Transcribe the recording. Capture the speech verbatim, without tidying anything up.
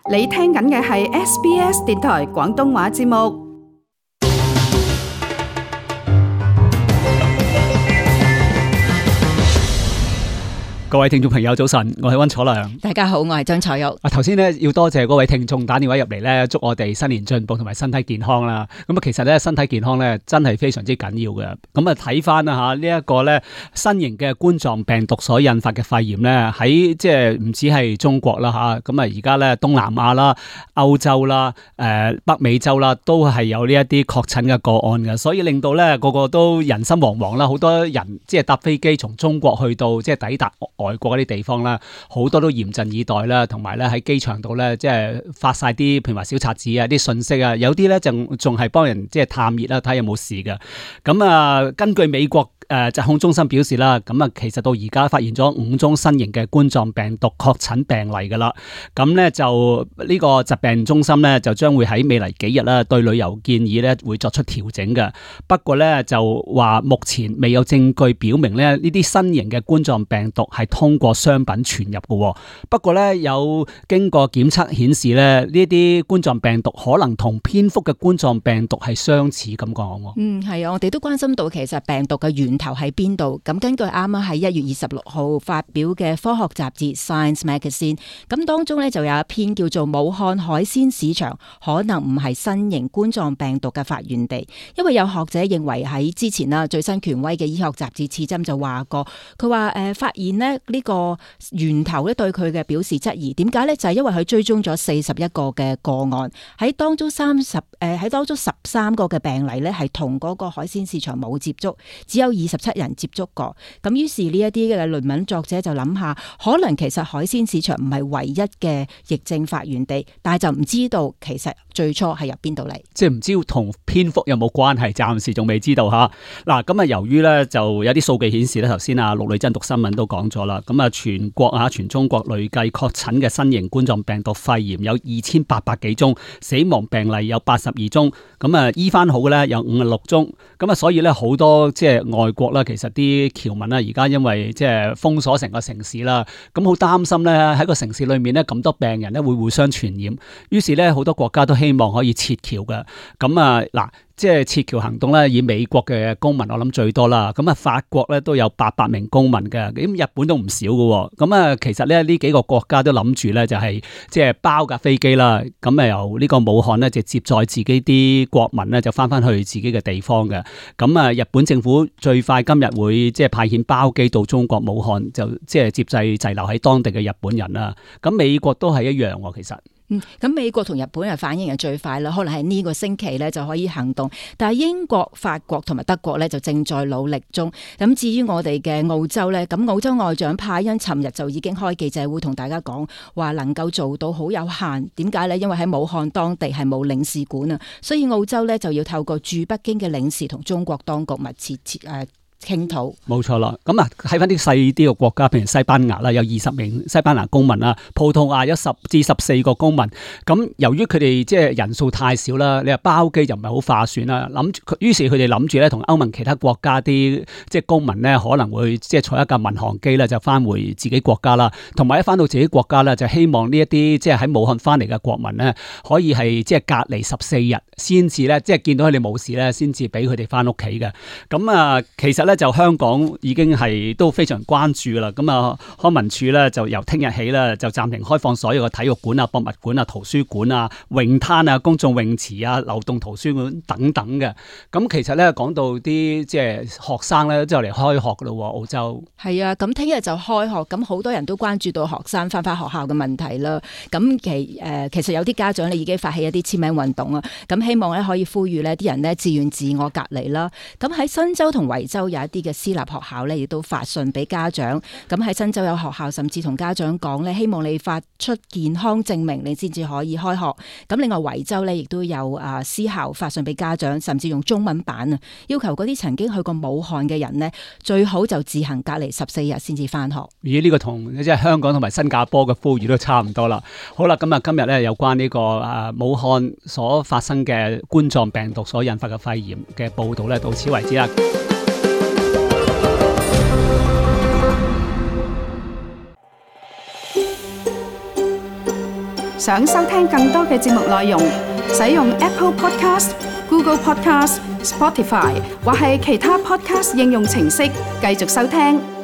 你聽緊嘅係 S B S 電台廣東話節目。各位聽眾朋友早晨，我係溫楚良。大家好，我係張彩玉。啊，頭先咧要多謝嗰位聽眾打電話入嚟咧，祝我哋新年進步同埋身體健康啦。咁啊，其實咧身體健康咧真係非常之緊要嘅。咁啊，睇翻啊吓呢一個咧新型嘅冠狀病毒所引發嘅肺炎咧，喺即係唔止係中國啦吓，咁啊而家咧東南亞啦、歐洲啦、誒北美洲啦，都係有呢一啲確診嘅個案嘅，所以令到咧個個都人心惶惶啦。好多人即係搭飛機從中國去到即係抵達外國嗰啲地方啦，好多都嚴陣以待啦，同埋咧喺機場度咧，即係發晒啲譬如話小冊子啊、啲信息啊，有啲咧仲仲係幫人即係探熱啦，睇下有冇事嘅。咁啊，根據美國誒疾控中心表示啦，咁啊其實到而家發現咗五宗新型嘅冠狀病毒確診病例噶啦。咁咧就呢個疾病中心咧就將會喺未來幾日啦，對旅遊建議咧會作出調整嘅。不過咧就話目前未有證據表明咧呢啲新型嘅冠狀病毒係通過商品傳入嘅。不過咧有經過檢測顯示咧呢啲冠狀病毒可能同蝙蝠嘅冠狀病毒係相似咁講。嗯，係啊，我哋都關心到其實病毒嘅源頭喺邊度。咁根據啱啱喺一月二十六號發表嘅科學雜誌 Science Magazine， 咁當中咧就有一篇叫做武漢海鮮市場可能唔係新型冠狀病毒嘅發源地，因為有學者認為喺之前啦最新權威嘅醫學雜誌刺針就話過，佢話誒發現咧呢個源頭咧對佢嘅表示質疑。點解咧？就係因為佢追蹤咗四十一個嘅個案，喺當中三十誒喺當中十三個嘅病例咧係同嗰個海鮮市場冇接觸，只有二十七人接觸過。咁於是呢一啲嘅論文作者就諗下，可能其實海鮮市場唔係唯一嘅疫症發源地，但係就唔知道其實最初係由邊度嚟，即係唔知同蝙蝠有冇關係，暫時仲未知道吓。嗱，咁啊由於咧就有啲數據顯示咧，頭先啊陸女真讀新聞都講咗啦，咁啊全國啊全中國累計確診嘅新型冠狀病毒肺炎有二千八百幾宗，死亡病例有八十二宗，咁啊醫翻好嘅咧有五十六宗，咁啊所以咧好多即係外國啦，其實啲僑民啦而家因為即係封鎖成個城市啦，咁好擔心咧喺個城市裏面咧咁多病人咧會互相傳染，於是咧好多國家都希望可以撤僑嘅，咁啊嗱。即係撤僑行動咧，以美國嘅公民我諗最多啦。咁啊，法國咧都有八百名公民嘅，咁日本都唔少嘅。咁啊，其實咧呢幾個國家都諗住咧就係即係包架飛機啦。咁啊由呢個武漢咧就接載自己啲國民咧就翻翻去自己嘅地方嘅。咁啊，日本政府最快今日會即係派遣包機到中國武漢，就即係接濟滯留喺當地嘅日本人啦。咁美國都係一樣喎，其實。嗯，咁美國同日本嘅反應係最快啦，可能係呢個星期咧就可以行動。但係英國、法國同埋德國咧就正在努力中。咁至於我哋嘅澳洲咧，咁澳洲外長派恩尋日就已經開記者會同大家講話，能夠做到好有限。點解咧？因為喺武漢當地係冇領事館啊，所以澳洲咧就要透過駐北京嘅領事同中國當局密切切誒傾討。冇錯啦，咁啊睇翻啲細啲嘅國家，譬如西班牙啦，有二十名西班牙公民啦；葡萄牙有十至十四個公民。咁由於佢哋即係人數太少啦，你話包機就唔係好划算啦。諗住，於是佢哋諗住咧，同歐盟其他國家啲即係公民咧，可能會即係坐一架民航機咧，就翻回自己國家啦。同埋一翻到自己國家咧，就希望呢一啲即係喺武漢翻嚟嘅國民咧，可以係即係隔離十四日先至咧，即係見到佢哋冇事咧，先至俾佢哋翻屋企嘅。咁啊，其實咧。就香港已經係都非常關注啦，咁啊康文署咧就由聽日起咧就暫停開放所有嘅體育館啊、博物館啊、圖書館啊、泳灘啊、公眾泳池啊、流動圖書館等等嘅。咁其實咧講到啲即係學生咧就嚟開學噶咯，澳洲係啊，咁聽日就開學，咁好多人都關注到學生翻返學校嘅問題啦。咁其誒、呃、其實有啲家長咧已經發起一啲簽名運動啊，咁希望咧可以呼籲呢啲人咧自願自我隔離啦。咁喺新州同維州有一啲嘅私立學校咧，亦都發信俾家長。咁喺新州有學校甚至同家長講咧，希望你發出健康證明，你先至可以開學。咁另外維州咧，亦都有啊私校發信俾家長，甚至用中文版啊，要求嗰啲曾經去過武漢嘅人呢，最好就自行隔離十四日先至翻學。咦？呢個同即係香港同埋新加坡嘅呼籲都差唔多啦。好啦，咁啊今日咧有關呢個啊武漢所發生嘅冠狀病毒所引發嘅肺炎嘅報道咧，到此為止啦。想收聽更多嘅節目內容，使用 Apple Podcast、Google Podcast、Spotify 或係其他 Podcast 應用程式繼續收聽。